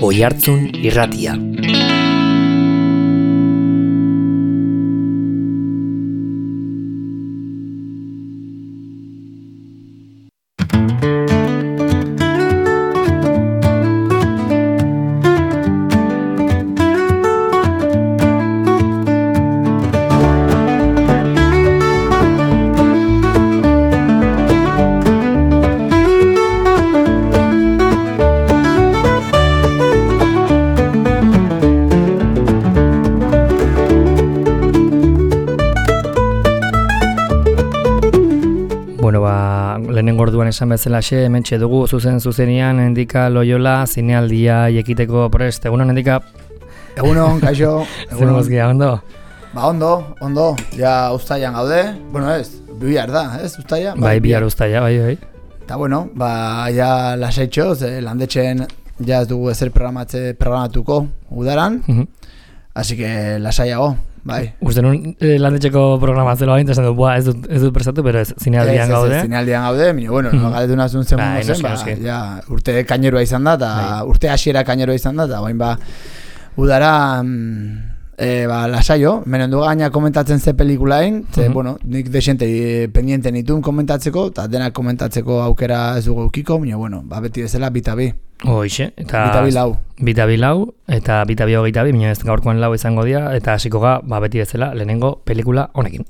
Oihartzun Irratia. Lehenengo orduan esan bezalaxe, hementxe dugu zuzenean Endika Loyola zinealdia ekiteko prest. Egunon, Endika? Egunon, kaixo. Zer mozkia, ondo? Ba, ondo. Ja, Uztailan gaude. Bueno, bihar da, Uztaila? Bai, bihar Uztaila, bai. Eta bueno, ja lasaitxo, landetxen ja ez dugu ezer programatuko udaran. Así que lasaiago. Bai. Uste nun landetxeko programatzelo bain, esan du, ez dut prestatu, pero ez zinealdian gaude. Ez zinealdian gaude, bueno, galetu nazun zen mundu zen, ja, urte kainerua izan da, eta urte hasiera kainerua izan da, eta bain udara, lasaio, menen du gaina komentatzen ze pelikulain, bueno, nik desente pendiente nituen komentatzeko, eta denak komentatzeko aukera ez dugu eukiko, bueno, beti bezala bitabi. Hoixe, eta Bitabi lau, eta bitabi hogeita bi, ez gaurkoan lau izango dira, eta hasiko ga, beti bezala, lehenengo pelikula honekin.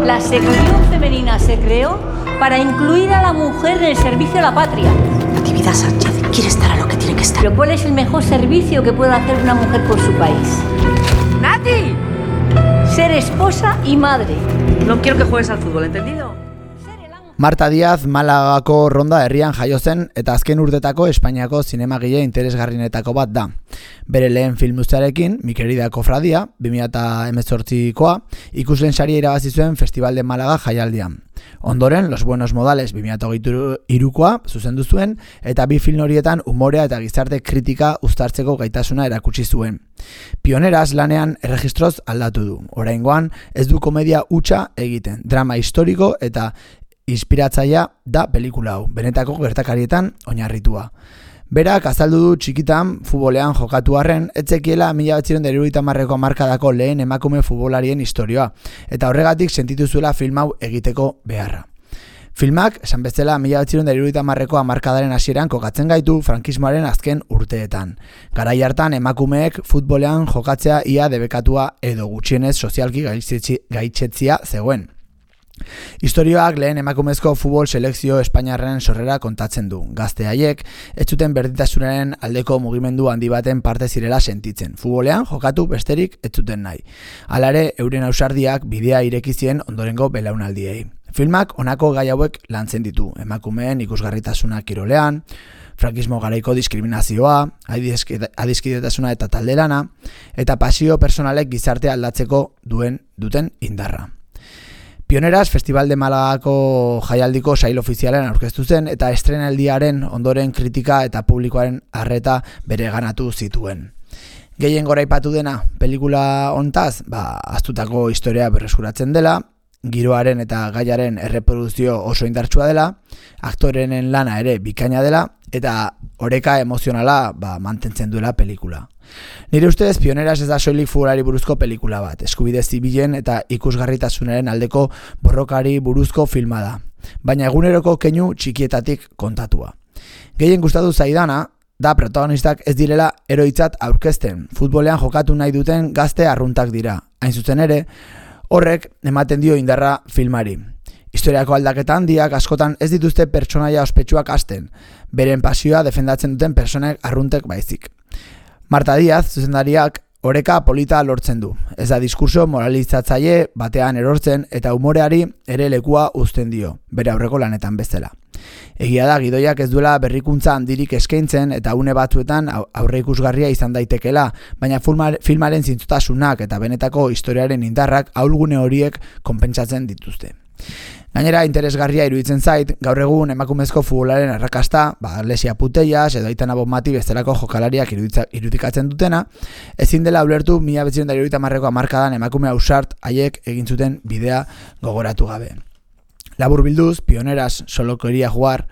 La sección femenina se creó para incluir a la mujer en el servicio a la patria. Natividad Sánchez quiere estar a lo que tiene que estar. Pero ¿cuál es el mejor servicio que puede hacer una mujer por su país? ¡Nati! Ser esposa y madre. No quiero que juegues al fútbol, ¿entendido? Marta Díaz Malagako Ronda herrian jaio zen eta azken urtetako Espainiako zinemagile interesgarrienetako bat da. Bere lehen filmuztearekin, Mi querida Cofradia, 2018koa, ikusleen saria irabazi zuen Festival de Málaga jaialdian. Ondoren, Los buenos modales 2023koa zuzendu zuen eta bi film horietan umorea eta gizarte kritika uztartzeko gaitasuna erakutsi zuen. Pioneras lanean erregistroz aldatu du. Oraingoan ez du komedia hutsa egiten, drama historiko eta inspiratzailea da pelikula hau, benetako gertakarietan oinarritua. Berak azaldu du txikitan futbolean jokatu arren, etzekiela 1970ko hamarkadako lehen emakume futbolarien historioa, eta horregatik sentitu zuela film hau egiteko beharra. Filmak, esan bezala 1970ko hamarkadaren hasieran kokatzen gaitu frankismoaren azken urteetan. Garai hartan emakumeek futbolean jokatzea ia debekatua edo gutxienez sozialki gaitzetzia zegoen. Historioak lehen emakumezko futbol selekzio Espainiarren sorrera kontatzen du. Gazte haiek ez zuten berdintasunaren aldeko mugimendu handi baten parte zirela sentitzen. Futbolean jokatu besterik ez zuten nahi. Hala ere, euren ausardiak bidea ireki zien ondorengo belaunaldiei. Filmak honako gai hauek lantzen ditu. Emakumeen ikusgarritasuna kirolean, frankismo garaiko diskriminazioa, adiskidetasuna eta taldelana, eta pasio personalek gizartea aldatzeko duten indarra. Pioneras Festival de Malagako jaialdiko sail ofizialean aurkeztu zen eta estrenaldiaren ondoren kritika eta publikoaren arreta bereganatu zituen. Gehien goraipatu dena pelikula hontaz, ahaztutako historia berreskuratzen dela, giroaren eta gaiaren erreproduzio oso indartsua dela, aktorenen lana ere bikaina dela, eta oreka emozionala mantentzen duela pelikula. Nire ustez, Pioneras ez da soilik futbolari buruzko pelikula bat, eskubide zibilen eta ikusgarritasunaren aldeko borrokari buruzko filma da, baina eguneroko keinu txikietatik kontatua. Gehien gustatu zaidana da protagonistak ez direla eroitzat aurkezten, futbolean jokatu nahi duten gazte arruntak dira. Hain zuzen ere, horrek ematen dio indarra filmari. Historiako aldaketa handiak askotan ez dituzte pertsonaia ospetsuak hasten, beren pasioa defendatzen duten personek arruntek baizik. Marta Díaz, zuzendariak, oreka polita lortzen du. Ez da diskurso moralizatzaile batean erortzen eta umoreari ere lekua uzten dio, bere aurreko lanetan bezala. Egia da, gidoiak ez duela berrikuntza handirik eskaintzen eta une batzuetan aurreikusgarria izan daitekela, baina filmaren zintzotasunak eta benetako historiaren indarrak ahulgune horiek konpentsatzen dituzte. Gainera, interesgarria iruditzen zait, gaur egun emakumezko futbolaren arrakasta, Lesia Putellas edo Aitana Bonmati bestelako jokalariak irudikatzen dutena, ezin dela ulertu 1970ko hamarkadan emakume ausart haiek egin zuten bidea gogoratu gabe. Labur bilduz, Pioneras solo quería jugar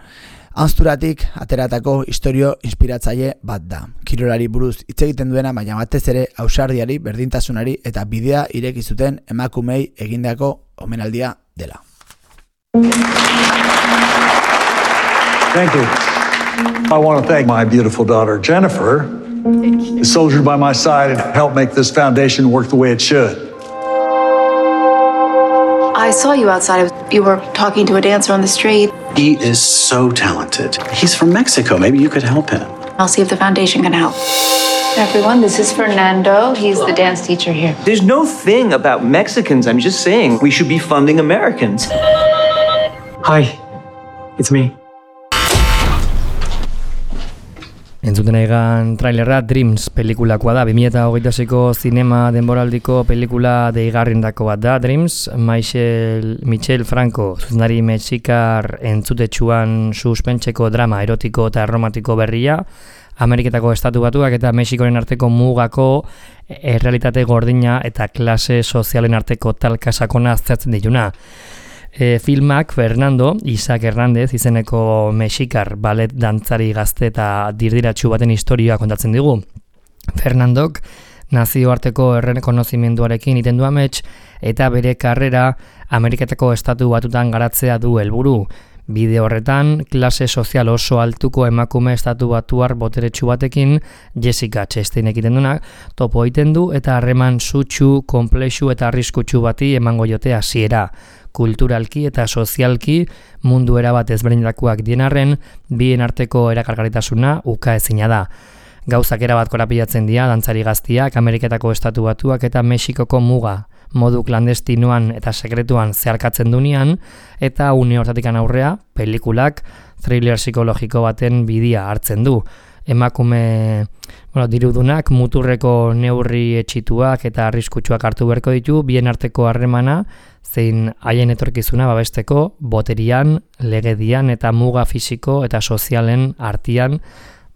Hanzturatik ateratako istorio inspiratzaile bat da. Kirolari buruz hitz egiten duena, baina batez ere ausardiari, berdintasunari eta bidea ireki zuten emakumei egindako omenaldia dela. Thank you. I want to thank my beautiful daughter, Jennifer, who soldiered by my side and helped make this foundation work the way it should. I saw you outside. You were talking to a dancer on the street. He is so talented. He's from Mexico. Maybe you could help him. I'll see if the foundation can help. Everyone, this is Fernando. He's the dance teacher here. There's no thing about Mexicans. I'm just saying we should be funding Americans. Hi, it's me. Entzuten egan trailerra Dreams pelikulakoa da, 2026ko zinema denboraldiko pelikula deigarrindako bat da. Dreams, Michel Franco, zuzendari mexikar entzutetsuan suspentseko drama erotiko eta romantiko berria, Ameriketako Estatu Batuak eta Mexikoren arteko mugako errealitate gordina eta klase sozialen arteko talka sakona aztertzen dituna. Filmak Fernando Isaac Hernández izeneko mexikar ballet dantzari gazte eta dirdiratsu baten historia kontatzen digu. Fernandok nazioarteko errekonozimenduarekin iten du amets eta bere karrera Ameriketako Estatu Batutan garatzea du helburu. Bide horretan, klase sozial oso altuko emakume estatu batuar boteretsu batekin Jessica Chastain egiten dunak topo egiten du eta harreman sutsu, konplexu eta arriskutsu bati emango jote hasiera. Kulturalki eta sozialki mundu erabat ezberdinetakoak dienarren, bien arteko erakargarritasuna ukaezina da. Gauzak erabat korapilatzen dira dantzari gaztiak, Ameriketako Estatu Batuak eta Mexikoko muga modu klandestinoan eta sekretuan zeharkatzen dunean, eta une hortatikan aurrea, pelikulak thriller psikologiko baten bidia hartzen du. Emakume dirudunak muturreko neurri etxituak eta arriskutsuak hartu beharko ditu, bien arteko harremana, zein haien etorkizuna babesteko boterian, legedian eta muga fisiko eta sozialen artian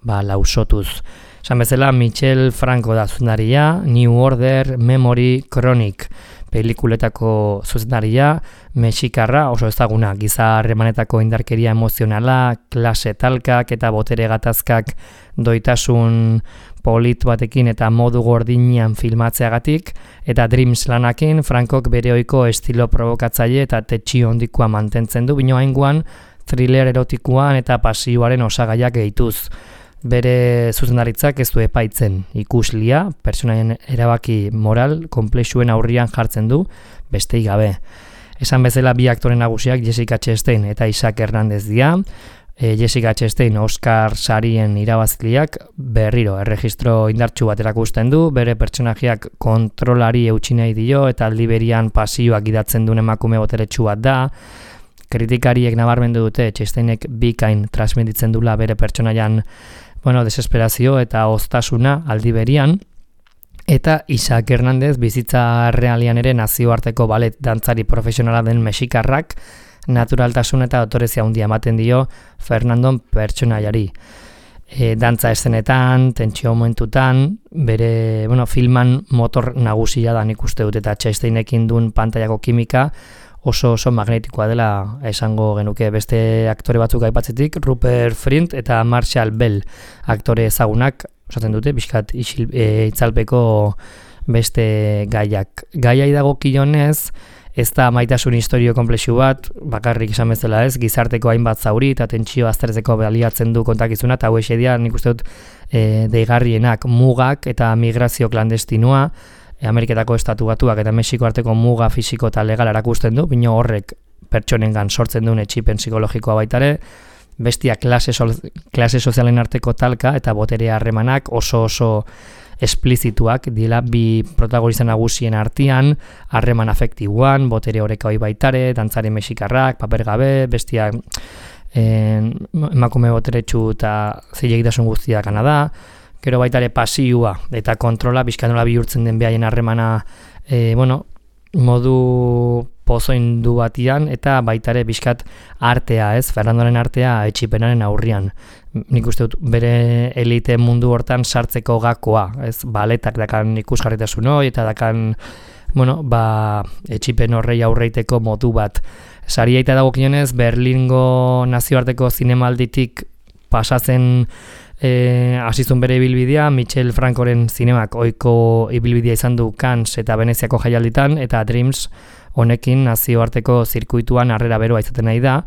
lausotuz. Esan bezala, Michel Franco da zuzendaria, New Order, Memory, Chronic pelikuletako zuzendaria, mexikarra oso ezaguna, giza harremanetako indarkeria emozionala, klase talkak eta botere gatazkak doitasun polit batekin eta modu gordinean filmatzeagatik, eta Dreams lanakin Frankok bere ohiko estilo provokatzaile eta tetxio hondikoa mantentzen du, bino hainguan thriller erotikoan eta pasioaren osagaiak gehituz. Bere zuzendaritzak ez du epaitzen, ikuslia, pertsonaien erabaki moral, konplexuen aurrian jartzen du, bestei gabe. Esan bezala bi aktore nagusiak Jessica Chastain eta Isaac Hernández dira. Jessica Chastain Oscar sarien irabazliak berriro erregistro indartsu bat erakusten du, bere pertsonajeak kontrolari eutsi nahi dio eta aldi berian pasioak idatzen duen emakume boteretsu bat da. Kritikariek nabarmendu dute Chastainek bikain transmititzen dula bere pertsonaian desesperazio eta oztasuna aldi berian, eta Isaac Hernández bizitza realian ere nazioarteko ballet dantzari profesionala den mexikarrak naturaltasun eta autorezia handia ematen dio Fernandon pertsonaiari. Dantza eszenetan, tentsio momentutan, bere filman motor nagusia da nik uste dut, eta Chastainekin duen pantaiako kimika oso magnetikoa dela esango genuke. Beste aktore batzuk aipatzetik, Rupert Friend eta Marshall Bell aktore ezagunak osatzen dute, bizkat itzalpeko beste gaiak. Gaiai dagokionez, ez da maitasun historio konplexu bat, bakarrik esan bezala ez, gizarteko hainbat zauri eta tentsio aztertzeko baliatzen du kontakizuna, eta hau esedia nik uste dut deigarrienak mugak eta migrazio klandestinoa, Ameriketako Estatu Batuak eta Mexiko arteko muga fisiko eta legal erakusten du, bino horrek pertsonengan sortzen duen etxipen psikologikoa baitare, bestia klase sozialen arteko talka eta botere harremanak oso esplizituak dira bi protagonista nagusien artean, harreman afektiboan, botere horeka hoi baitare, dantzari mexikarrak, paper gabe, bestia emakume boteretsu eta zilegitasun guztiak gana da, gero baitare pasioa eta kontrola bizkanola bihurtzen den behaien harremana modu pozoindu batian, eta baitare bizkat artea, ez? Fernandoren artea etxipenaren aurrian. Nik uste dut bere elite mundu hortan sartzeko gakoa, ez? Baletak dakan ikusgarritasun hori eta dakan etxipen horrei aurreiteko modu bat. Saria eta dagokionez, Berlingo nazioarteko zinemalditik pasatzen hasizun bere ibilbidea, Michel Francoren zinemak ohiko ibilbidea izan du Cannes eta Veneziako jaialditan, eta Dreams honekin nazioarteko zirkuituan harrera beroa izaten nahi da,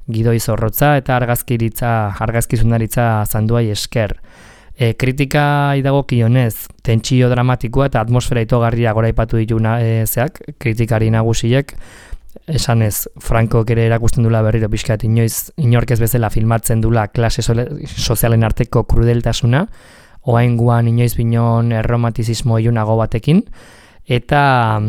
gidoi zorrotza eta argazkizundaritza zanduai esker. Kritika idagokionez, tentsio dramatikoa eta atmosfera itogarria goraipatu ditu kritikari nagusiek, esanez, Frankok ere erakusten dula berriro pixkat inork ez bezala filmatzen dula klase sozialen arteko krudeltasuna, oainguan inoiz binon erromantizismo ilunago batekin, eta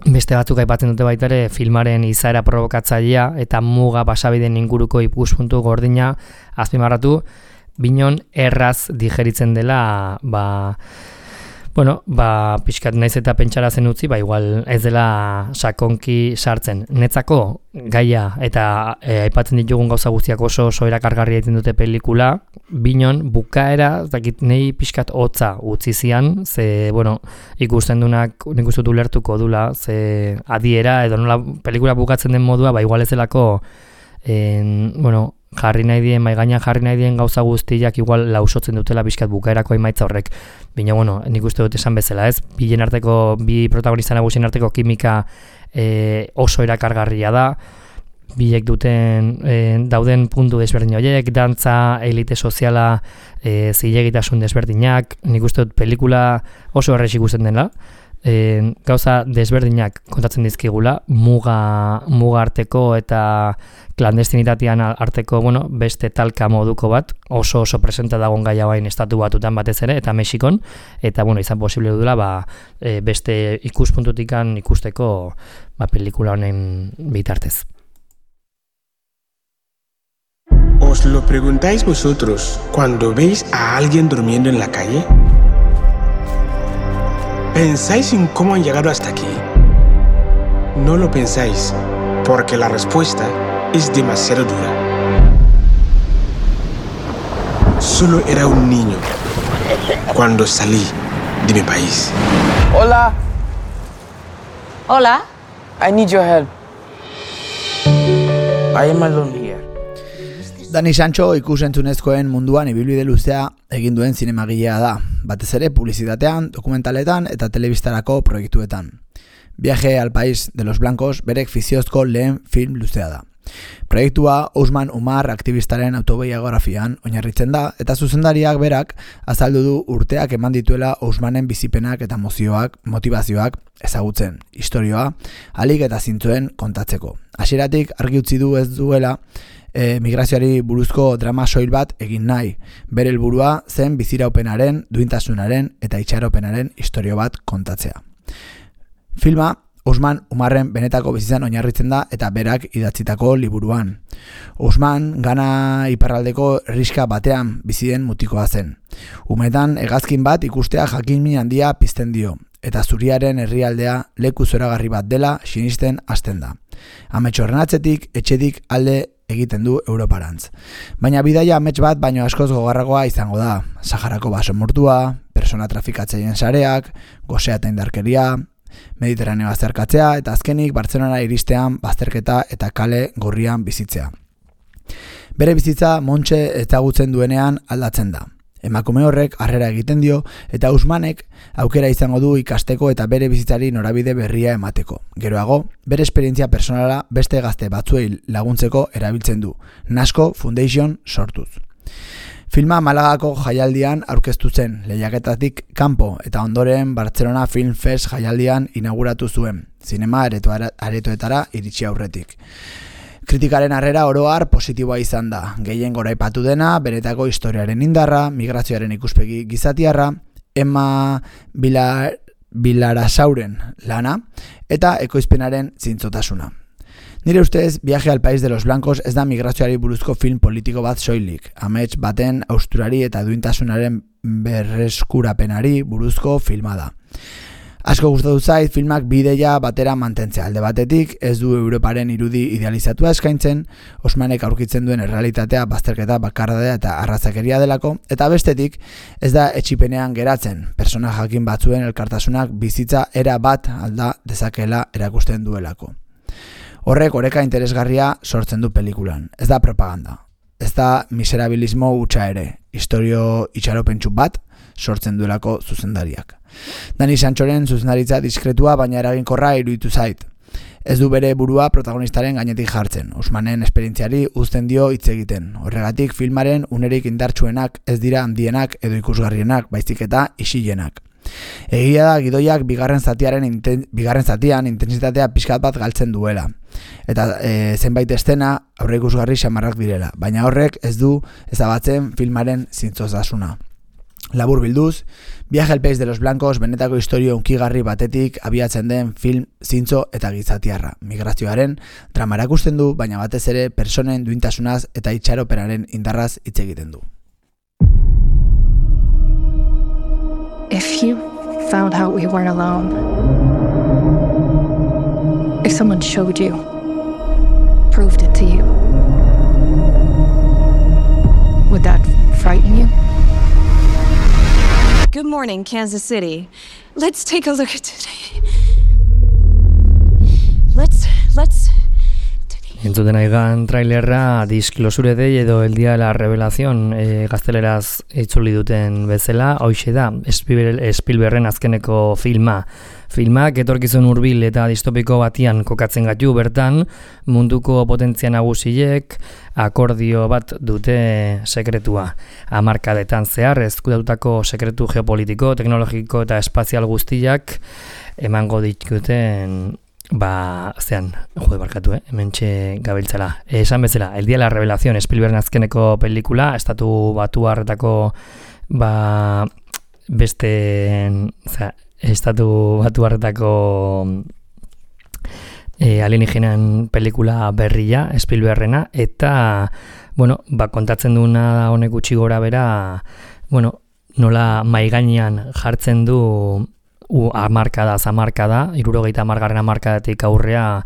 beste batzuk aipatzen dute baita ere filmaren izaera provokatzailea eta muga pasabideen inguruko ikuspuntu gordina azpimarratu, binon erraz digeritzen dela, pixkat naiz eta pentsara zen utzi, igual ez dela sakonki sartzen. Netzako gaia eta aipatzen ditugun gauza guztiak oso erakargarri egiten dute pelikula, binon bukaera, nahi pixkat hotza utzi zian, ze, ikusten dunak nik uste dut ulertuko dula, ze adiera, edo nola pelikula bukatzen den modua, igual ez delako, maigainan jarri nahi dien gauza guztiak igual lausotzen dutela pixkat bukaerako emaitza horrek. Bina, nik uste dut esan bezala, ez? Bi protagonista nagusien arteko kimika oso erakargarria da, bilek dauden puntu desberdin horiek, dantza, elite soziala, zilegitasun desberdinak, nik uste dut pelikula oso errex ikusten dela, gauza desberdinak kontatzen dizkigula, muga arteko eta klandestinitatean arteko, beste talka moduko bat, oso presenta dagoen gaia bain estatu batutan batez ere, eta Mexikon, eta izan posible dudula beste ikuspuntutikan ikusteko pelikula honen bitartez. ¿Os lo preguntáis vosotros cuando veis a alguien durmiendo en la calle? ¿Pensáis en cómo han llegado hasta aquí? No lo pensáis, porque la respuesta es demasiado dura. Solo era un niño cuando salí de mi país. Hola. Hola. I need your help. I am alone here. Dani Sancho ikusentzunezkoen munduan ibilbide luzea egin duen zinemagilea da, batez ere publizitatean, dokumentaletan eta telebistarako proiektuetan. Viaje al País de los Blancos berek fiziozko lehen film luzea da. Proiektua Ousmane Umar aktivistaren autobiografian oinarritzen da, eta zuzendariak berak azaldu du urteak eman dituela Ousmanen bizipenak eta motivazioak ezagutzen, istorioa, ahalik eta zintzoen kontatzeko. Hasieratik argi utzi du ez duela migrazioari buruzko drama soil bat egin nahi. Bere helburua zen biziraupenaren, duintasunaren eta itxaropenaren istorio bat kontatzea. Filma Ousmane Umarren benetako bizitzan oinarritzen da eta berak idatzitako liburuan. Ousmane Gana iparraldeko herrixka batean bizien mutikoa zen. Umetan hegazkin bat ikustea jakin-min handia pizten dio, eta zuriaren herrialdea leku zoragarri bat dela sinisten hasten da. Amets horren atzetik, etxetik alde egiten du Europarantz. Baina bidaia amets bat baino askoz gogorragoa izango da. Saharako basamortua, persona trafikatzaien sareak, gosea eta indarkeria, Mediterraneo azterkatzea eta azkenik Bartzelonara iristean bazterketa eta kale gorrian bizitzea. Bere bizitza Montxe ezagutzen duenean aldatzen da. Emakume horrek harrera egiten dio eta Ousmanek aukera izango du ikasteko eta bere bizitzari norabide berria emateko. Geroago, bere esperientzia personala beste gazte batzuei laguntzeko erabiltzen du, Nasco Foundation sortuz. Filma Malagako jaialdian aurkeztu zen, lehiaketatik kanpo eta ondoren Barcelona Film Fest jaialdian inauguratu zuen, zinema aretoetara iritsi aurretik. Kritikaren harrera oro har positiboa izan da, gehien goraipatu dena, benetako historiaren indarra, migrazioaren ikuspegi gizatiarra, Emma Vilarasauren lana eta ekoizpenaren zintzotasuna. Nire ustez, Viaje al País de los Blancos ez da migrazioari buruzko film politiko bat soilik, amets baten austurari eta duintasunaren berreskurapenari buruzko filma da. Asko gustatu zait filmak bideia batera mantentzea. Alde batetik ez du Europaren irudi idealizatua eskaintzen, Osmanek aurkitzen duen errealitatea bazterketa, bakardadea eta arrazakeria delako, eta bestetik ez da etxipenean geratzen, persona jakin batzuen elkartasunak bizitza era bat alda dezakela erakusten duelako. Horrek oreka interesgarria sortzen du pelikulan, ez da propaganda, ez da miserabilismo hutsa ere, istorio itxaropentsu bat sortzen duelako zuzendariak. Dani Sanchoren zuzendaritza diskretua baina eraginkorra iruditu zait. Ez du bere burua protagonistaren gainetik jartzen, Osmanen esperientziari uzten dio hitz egiten. Horregatik filmaren unerik indartsuenak ez dira handienak edo ikusgarrienak, baizik eta isilenak. Egia da gidoiak bigarren zatian intentsitatea pixkat bat galtzen duela. Eta zenbait estena aurreikusgarri xamarrak direla, baina horrek ez du ezabatzen filmaren zintzozasuna. Labur bilduz, Viaje al País de los Blancos benetako historio unkigarri batetik abiatzen den film zintzo eta gizatiarra. Migrazioaren drama erakusten du, baina batez ere personen duintasunaz eta itxaropenaren indarraz hitz egiten du. If you found out we weren't alone, if someone showed you, proved it to you, would that frighten you? Good morning, Kansas City. Let's take a look at today. Let's Entzuten aigan trailerra Disclosure Day edo El Día de la Revelación gazteleraz itzuli duten bezala, hoxe da Spielbergen azkeneko filmak etorkizun hurbil eta distopiko batian kokatzen gaitu bertan, munduko potentzia nagusiek akordio bat dute sekretua. Hamarkadetan zehar ezkutatutako sekretu geopolitiko, teknologiko eta espazial guztiak emango dituzten hementxe gabiltzala. Esan bezala, El Día de la Revelación, Spielbergen azkeneko pelikula, estatu batuarretako alienígenan pelikula berria, Spielbergena, eta, kontatzen duena honek gutxi gora bera, nola maigainean jartzen du hamarkada, 70 hamarkadatik aurrea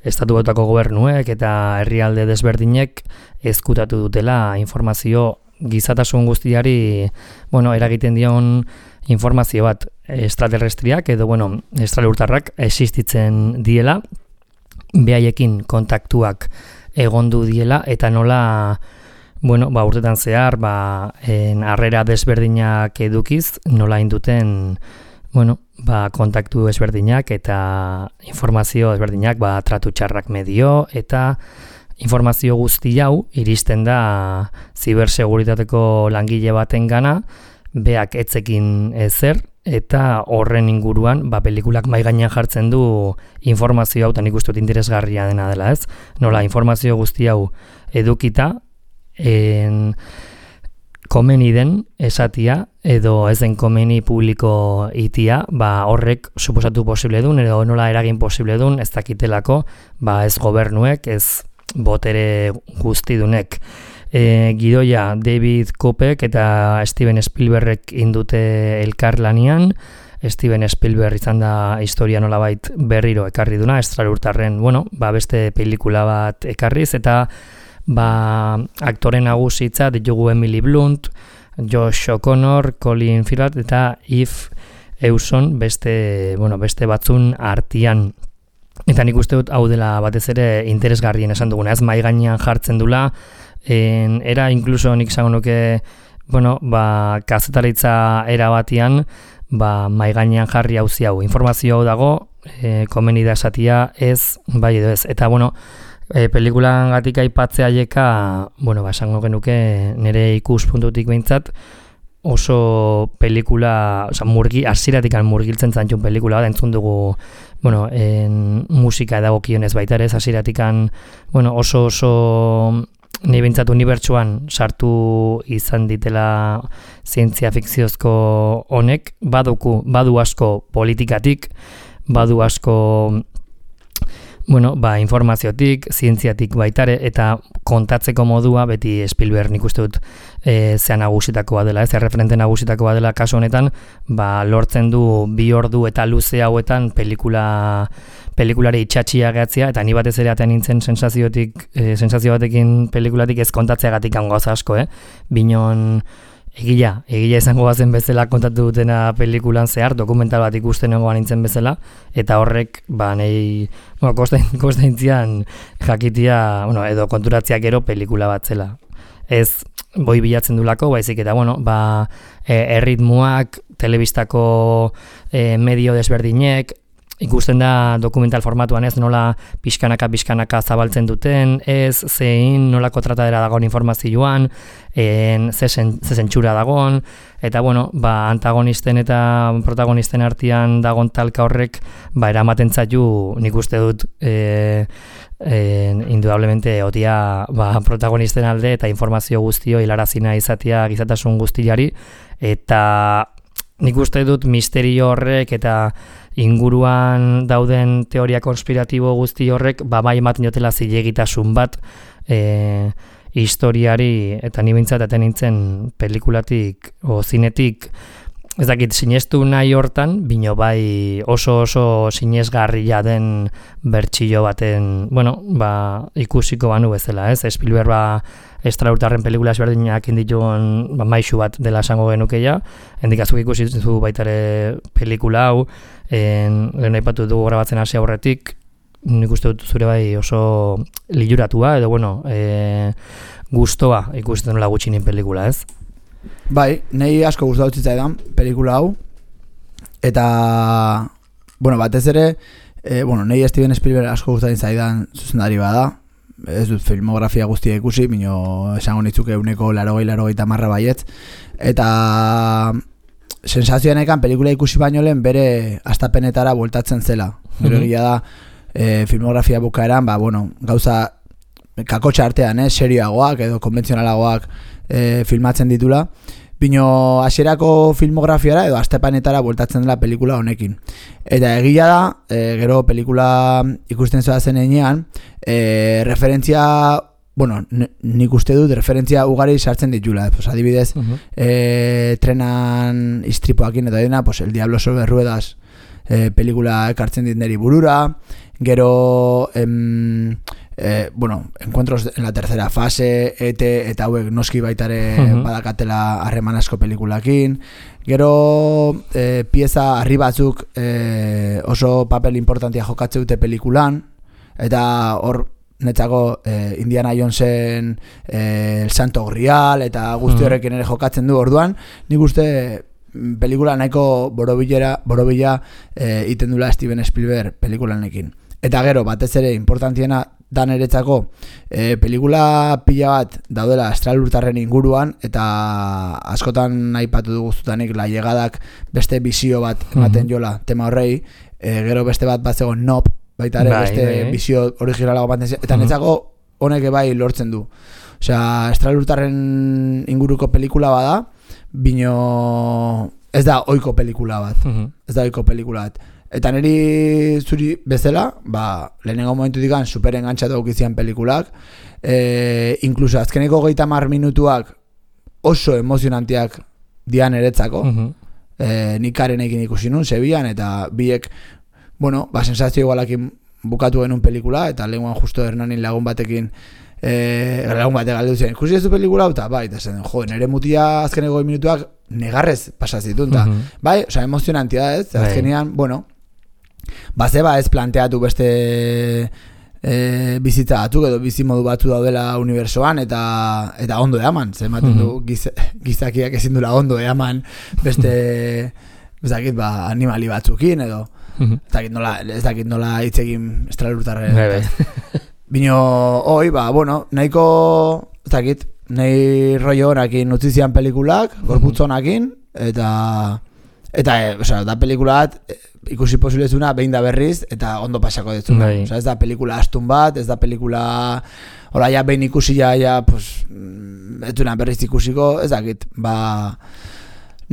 estatu batuako gobernuek eta herrialde desberdinek ezkutatu dutela informazio gizatasun guztiari, eragiten dion informazio bat extraterrestriak edo, estralurtarrak existitzen diela, behaiekin kontaktuak egondu diela eta nola, urtetan zehar, harrera desberdinak edukiz, nola induten kontaktu ezberdinak eta informazio ezberdinak tratu txarrak medio eta informazio guzti hau iristen da ziberseguritateko langile baten gana, beak etzekin ezer eta horren inguruan pelikulak maigainean jartzen du informazio hau, eta nik uste dut interesgarria dena dela, ez? Nola informazio guzti hau edukita komeni den esatia edo ez den komeni publiko itia, horrek suposatu posible dun edo nola eragin posible dun ez dakitelako, ez gobernuek, ez botere guztidunek. Gidoia David Kopeck eta Steven Spielbergek indute elkarlanean. Steven Spielberg izan da historia nolabait berriro ekarri duna, estralurtarren, beste pelikula bat ekarriz, eta aktore nagusitza ditugu Emily Blunt, Josh O'Connor, Colin Firth eta Eve Hewson beste batzun artian. Eta nik uste dut hau dela batez ere interesgarrien esan duguna, ez mai gainean jartzen dula, era inkluso nik zango nuke, kazetaritza era batian, mai gainean jarri hauzi hau. Informazio hau dago, komeni da esatia ez, bai edo ez. Eta pelikulan gatik aipatzea aieka, esango genuke nire ikuspuntutik behintzat, oso pelikula, hasieratik murgiltzen zantxun pelikula bat, entzun dugu, musika edagokionez baita ere, hasieratik oso ni behintzat unibertsuan sartu izan ditela zientzia fikziozko honek, badu asko politikatik, badu asko Bueno, informaziotik, zientziatik baitare, eta kontatzeko modua beti Spielberg nik uste dut zea nagusitakoa dela, referente nagusitakoa dela kasu honetan, lortzen du 2 ordu eta luze hauetan pelikulari itxatxia gehatzea, eta ni batez ere atean nintzen sensazio batekin pelikulatik ez kontatzeagatik gauza asko, Binon Egia izango bazen bezala kontatu dutena pelikulan zehar, dokumental bat ikusten nengoan nintzen bezala, eta horrek, nahi, kostaintzian jakitia, edo konturatziak gero pelikula bat zela. Ez boi bilatzen dulako, baizik eta, erritmuak, telebistako medio desberdinek, ikusten da dokumental formatuan ez nola pixkanaka zabaltzen duten, ez zein nolako tratadera dagoen informazioan, ze zentsura dagoen, eta antagonisten eta protagonisten artean dagoen talka horrek eramaten zaitu nik uste dut indudablemente otia protagonisten alde eta informazio guztio hilarazina izatea gizatasun guztiari, eta nik uste dut misterio horrek eta inguruan dauden teoria konspiratibo guzti horrek bai ematen jotela zilegitasun bat historiari, eta ni behintzat aten nintzen pelikulatik o zinetik ez dakit sinestu nahi hortan, bino bai oso sinesgarria den bertsillo baten, ikusiko banu bezala, ez? Spielberg estraurtarren pelikula ezberdinak indituen maixu bat dela esango genukeia, hendikazuk ikusi zu baitare pelikula hau, lehen aipatu dugu grabatzen hasi aurretik, nik uste dut zure bai oso liluratua, edo gustoa ikusten nola gutxinin pelikula, ez? Bai, nahi asko gustatu zitzaidan pelikula hau, eta, batez ere, nahi Steven Spielberg asko gustatzen zaidan zuzendari bada, ez dut filmografia guztia ikusi, bino esango nitzuke 180 baietz, eta sensazioanekan pelikula ikusi baino lehen bere astapenetara bueltatzen zela. Gero egia da, filmografia bukaeran, gauza kakotxa artean, serioagoak edo konbentzionalagoak filmatzen ditula, bino hasierako filmografiara edo astapenetara bueltatzen dela pelikula honekin. Eta egia da, gero pelikula ikusten zoa zen enean, referentzia, nik uste dut referentzia ugari sartzen ditula. Adibidez, trenan istripoakin eta dena, El Diablo sobre Ruedas pelikula ekartzen dit neri burura, gero Encuentros en la tercera fase, eta hauek noski baitare badakatela harreman asko pelikulakin, gero pieza harri batzuk oso papel importantia jokatze dute pelikulan, eta hor netzako Indiana Jonesen El Santo Grial eta guzti horrekin ere jokatzen du. Orduan nik uste pelikula nahiko borobila iten dula Steven Spielberg pelikulanekin. Eta gero, batez ere, importantiena da niretzako, pelikula pila bat daudela estralurtarren inguruan, eta askotan aipatu dugu zutanik la llegadak beste bizio bat ematen jola tema horrei, gero beste bat zegoen Nope, baita ere beste bizio originalago bat, eta niretzako honek bai lortzen du. Osea, estralurtarren inguruko pelikula bada, bino ez da ohiko pelikula bat. Eta niri zuri bezala, lehenengo momentutik super engantzatu aukizian pelikulak, inkluso azkeneko 30 minutuak oso emozionantiak dian eretzako, nik Karenekin ikusi nun, Sevillan, eta biek, sensazio igualakin bukatu genuen pelikula, eta lehenguan justo Hernanin lagun batekin, lagun batek galdu ziren, ikusi ez du pelikula, eta eta zen, nire mutia azkeneko 2 minutuak negarrez pasazitun, eta emozionantia da ez, azkenean, Bazeba ez planteatu beste bizitza batzuk edo bizimodu batzu daudela unibersoan eta ondo eaman, zematen du gizakiak ezin dula ondo eaman beste animali batzukin edo ez dakit nola hitz egin estralurtarren. Bino hoi, nahiko ez dakit, nahi rollo honakin utzizian pelikulak, gorputzonakin, eta da pelikula bat ikusi posibilezuna behin da berriz eta ondo pasako dezuna. Ez da pelikula astun bat, ez da pelikula hola ja behin ikusi ez duna berriz ikusiko, ez dakit,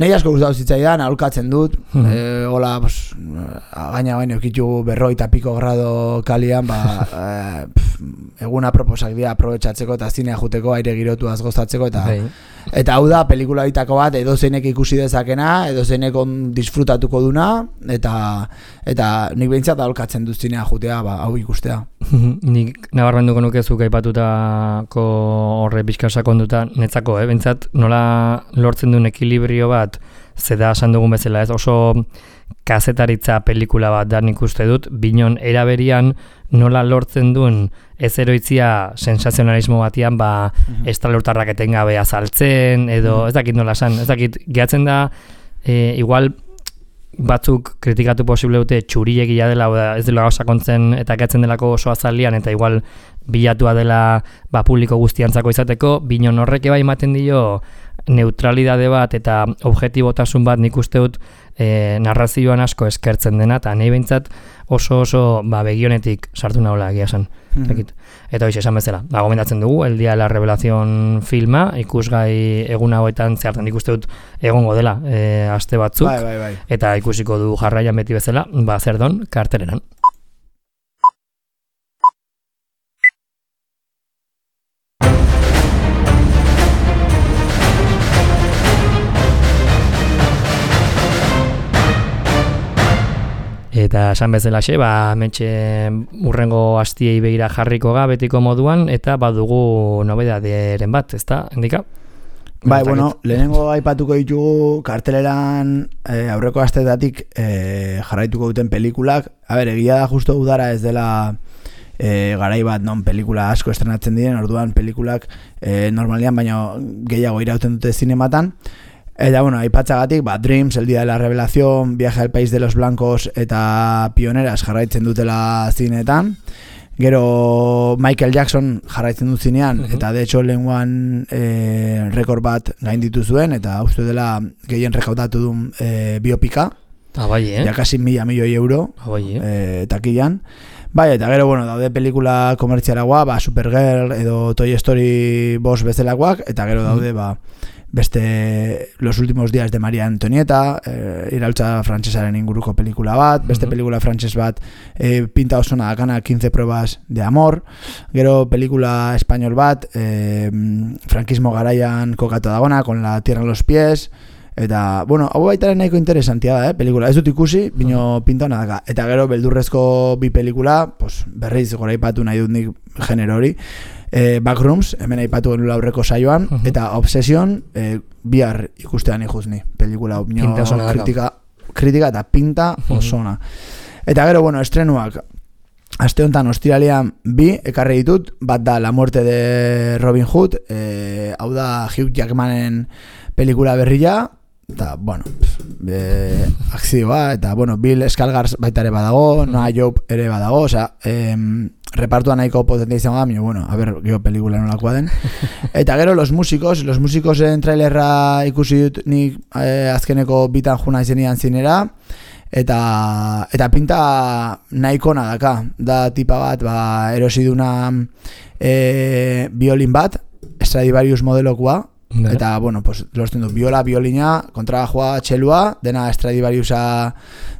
Nahi asko gustatu zitzaidan, aholkatzen dut, hola, gaina baino ekitu 40 grado kalian, eguna proposak dira aprobetxatzeko eta zinea juteko, aire girotuaz gozatzeko, eta hau da, pelikula ditako bat, edo zeinek ikusi dezakena, edo zeinek disfrutatuko duna, eta nik behintzat aholkatzen dut zinea jutea, hau ikustea. Nik nabarmenduko nukezuk aipatutako horre pixka konduta netzako, behintzat nola lortzen duen ekilibrio bat, zeda esan dugun bezala, ez oso kazetaritza pelikula bat da nik uste dut, binon eraberian nola lortzen duen ez eroitzia sensazionalismo batian estralurtarrak etengabe azaltzen, edo ez dakit nola esan, ez dakit gehatzen da, igual batzuk kritikatu posible dute txuriegia dela, ez dela sakontzen eta gehatzen delako oso azalian, eta igual bilatua dela publiko guztiantzako izateko, binon horrek bai ematen dio neutralidade bat eta objektibotasun bat nik uste dut narrazioan asko eskertzen dena, eta nahi behintzat oso begionetik sartu nahola egia esan. Eta hoiz esan bezala, gomendatzen dugu, El Día de la Revelación filma, ikusgai egun hauetan zehartan ikuste dut egongo dela aste batzuk, eta ikusiko du jarraian beti bezala, zer don, karteleran. Eta esan bezalaxe, mentxe urrengo astiei begira jarriko betiko moduan, eta badugu nobedaderen bat, ezta, Hendika? Bueno, lehenengo aipatuko ditugu karteleran aurreko asteetatik jarraituko duten pelikulak. Egia da justo udara ez dela garai bat non pelikula asko estrenatzen diren, orduan pelikulak normalian baino gehiago irauten dute zinematan. Eta, aipatzagatik, Dreams, El Día de la Revelación, Viaje al País de los Blancos eta Pioneras jarraitzen dutela zinetan. Gero Michael Jackson jarraitzen dut zinean, eta de hecho lehenguan rekord bat gainditu zuen, eta uste dela gehien rekaudatu duen biopika. Ja kasi 1.000 milioi euro takilan. Eta gero, daude pelikula komertzialagoa, Supergirl edo Toy Story 5 bezalakoak, eta gero daude, beste Los últimos días de María Antonieta, iraultza frantsesaren inguruko pelikula bat, beste pelikula frantses bat, pinta osona dakana 15 pruebas de amor, gero pelikula espainol bat, frankismo garaian kokatu dagona, con la tierra en los pies, eta, hau baitaren nahiko interesantia da, pelikula, ez dut ikusi, bino pinta hona daka, eta gero beldurrezko bi pelikula, berriz gora ipatu nahi dut nik genero hori, Backrooms, hemen aipatu genula aurreko saioan, eta Obsession, bihar ikustean ikuzni, pelikula kritika eta pinta osona. Eta gero, estrenuak, aste honetan ostiralean 2 ekarri ditut, bat da La muerte de Robin Hood, hau da Hugh Jackmanen pelikula berria, eta, akzioa, eta, Bill Skarsgård baita ere badago, Noah Jupe ere badago, repartua nahiko potentia izango da, a ber, geho pelikula nolakoa den. Eta gero, los musikosen trailerra ikusi dut nik azkeneko bitan juna izenian zinera, eta pinta nahiko nadaka, da tipa bat, erosiduna violin bat, Stradivarius modelokoa, eta, lortzen du, violina, kontrabajoa, txelua, dena Stradivariusa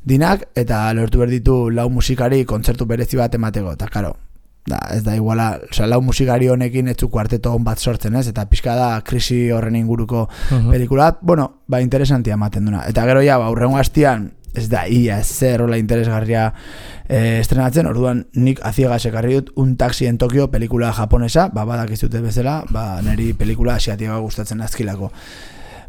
dinak, eta lortu berditu 4 musikari kontzertu berezi bat emateko, eta karo, ez da iguala, 4 musikari honekin ez du kuarteto hon bat sortzen, ez, eta pixka da krisi horren inguruko pelikula, interesantia ematen duna, eta gero aurrengo hastian, ez da ia zer hola interesgarria estrenatzen, orduan nik aziegas ekarri dut Un taxi en Tokio pelikula japonesa, badakizute bezala, niri pelikula asiatika gustatzen azkilako.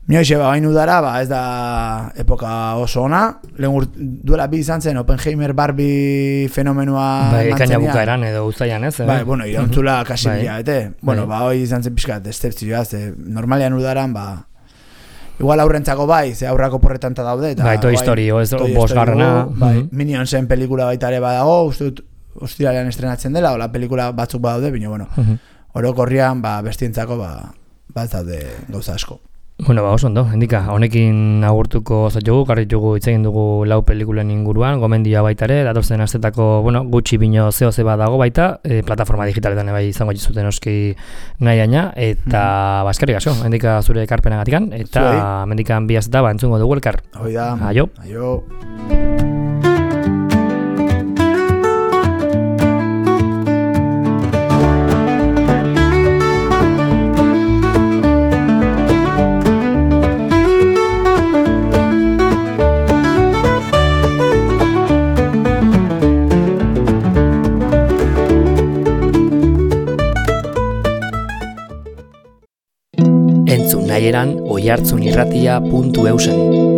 Mioixe, bain udara, ez da epoka oso ona, duela 2 izan zen Oppenheimer Barbie fenomenua ekaina bukaeran edo uztaian, ez? Irauntzula kasi bilabete. Hoi izan zen pixkat esteptzioa, normalian udaran, igual aurrentzako ze aurrako porretan ta daude, eta Toy Story, bosgarrena, Minionsen pelikula baita ere badago, uste dut ostiralean estrenatzen dela, ola pelikula batzuk badaude, bino, orokorrian bestientzako bat daude gauza asko. Bueno, oso ondo, hendika, honekin agurtuko zaitugu, karritugu hitz egin dugu 4 pelikulen inguruan, gomendioa baita ere, datorzen astetako, gutxi bino zeo dago baita, plataforma digitaletan bai izango zuten oski nahi aina, eta eskerrik asko, hendika zure ekarpenagatikan, eta mendikan bi asteta entzungo dugu elkar. Hoi da. Aio. Aio. Entzun nahieran oihartzunirratia.eusen.